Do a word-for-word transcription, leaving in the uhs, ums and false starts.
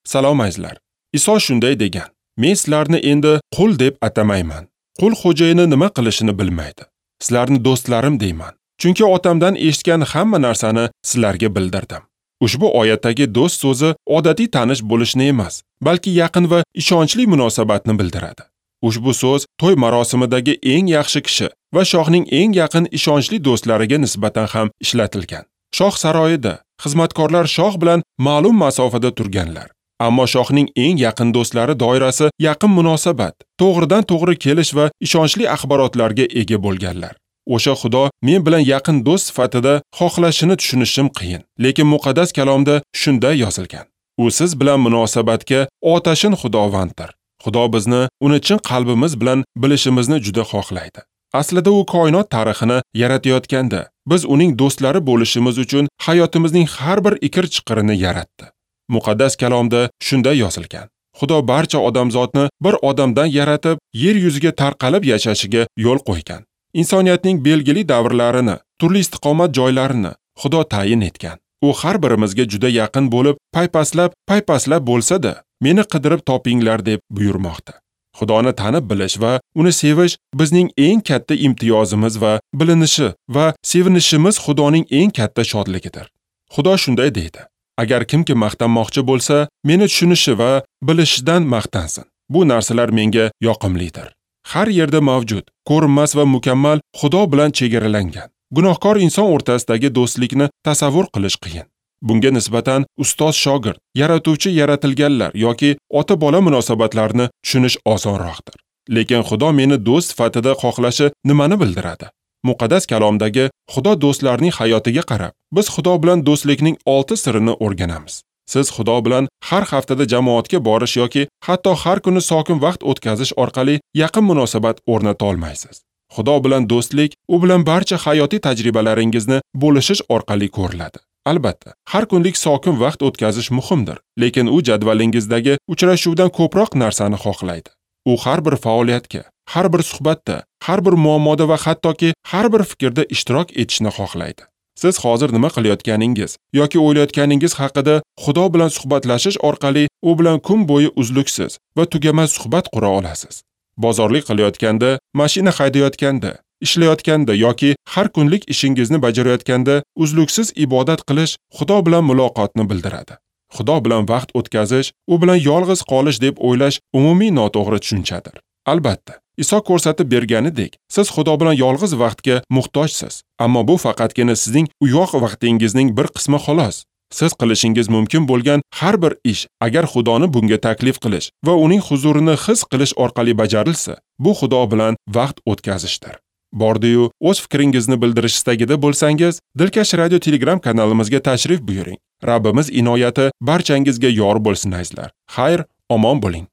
Salom azizlar. Iso shunday degan: Men sizlarni endi qul deb atamayman. Qul xo'jayini nima qilishini bilmaydi. Sizlarni do'stlarim deyman. Chunki otamdan eshitgan hamma narsani sizlarga bildirdim. Ushbu oyatdagi do'st so'zi odatiy tanish bo'lishni emas, balki yaqin va ishonchli munosabatni bildiradi. Ushbu so'z to'y marosimidagi eng yaxshi kishi va shohning eng yaqin ishonchli do'stlariga nisbatan ham ishlatilgan. Shoh saroyida xizmatkorlar shoh bilan ma'lum masofada turganlar. Ammo shohning eng yaqin do'stlari doirasi yaqin munosabat, to'g'ridan to'g'ri kelish va ishonchli axborotlarga ega bo'lganlar. O'sha Xudo men bilan yaqin do'st sifatida xohlashini tushunishim qiyin, lekin muqaddas kalomda shunday yozilgan. U siz bilan munosabatga otashin Xudovanddir. Xudo bizni uni chin qalbimiz bilan bilishimizni juda xohlaydi. Aslida u koinot tarixini yaratayotganda biz uning do'stlari bo'lishimiz uchun hayotimizning har bir ikir-chiqirini yaratdi. Muqaddas kalomda shunday yozilgan. Xudo barcha odamzodni bir odamdan yaratib, yer yuziga tarqalib yashashiga yo'l qo'ygan. Insoniyatning belgili davrlarini, turli istiqomat joylarini Xudo tayin etgan. U har birimizga juda yaqin bo'lib, paypaslab, paypaslab bo'lsa-da, meni qidirib topinglar deb buyurmoqda. Xudoni tanib bilish va uni sevish bizning eng katta imtiyozimiz va bilinishi va sevinishimiz Xudoning eng katta shodligidir. Xudo shunday deydi: Agar kimki maqtanmoqchi bo'lsa, meni tushunishi va bilishidan maqtansin. Bu narsalar menga yoqimlidir. Har yerda mavjud, ko'rinmas va mukammal Xudo bilan chegaralangan. Gunohkor inson o'rtasidagi do'stlikni tasavvur qilish qiyin. Bunga nisbatan ustoz-shogird, yaratuvchi yaratilganlar yoki ota-bola munosabatlarini tushunish osonroqdir. Lekin Xudo meni do'st sifatida xohlashi nimani bildiradi? Muqaddas kalomdagi Xudo do'stlarining hayotiga qarab, biz Xudo bilan do'stlikning olti sirini o'rganamiz. Siz Xudo bilan har haftada jamoatga borish yoki hatto har kuni sokin vaqt o'tkazish orqali yaqin munosabat o'rnata olmaysiz. Xudo bilan do'stlik u bilan barcha hayotiy tajribalaringizni bo'lishish orqali ko'riladi. Albatta, har kunlik sokin vaqt o'tkazish muhimdir, lekin u jadvalingizdagi uchrashuvdan ko'proq narsani xohlaydi. U har bir faoliyatga, har bir suhbatda, har bir muammoda va hattoki har bir fikrda ishtirok etishni xohlaydi. Siz hozir nima qilayotganingiz yoki o'ylayotganingiz haqida Xudo bilan suhbatlashish orqali u bilan kun bo'yi uzluksiz va tugamas suhbat qura olasiz. Bozorlik qilayotganda, mashina haydayotganda, ishlayotganda yoki har kunlik ishingizni bajarayotganda uzluksiz ibodat qilish Xudo bilan muloqotni bildiradi. Xudo bilan vaqt o'tkazish, u bilan yolg'iz qolish deb o'ylash umumiy noto'g'ri tushunchadir. Albatta, Iso ko'rsatib berganidek, siz Xudo bilan yolg'iz vaqtga muhtojsiz, ammo bu faqatgina sizning uyg'oq vaqtingizning bir qismi xolos. Siz qilishingiz mumkin bo'lgan har bir ish, agar Xudoni bunga taklif qilish va uning huzurini his qilish orqali bajarilsa, bu Xudo bilan vaqt o'tkazishdir. Bordi-yu, o'z fikringizni bildirish istagida bo'lsangiz, Dilkash Radio Telegram kanalimizga tashrif buyuring. Rabbimiz inoyati barchangizga yor bo'lsin azizlar. Xayr, omon bo'ling.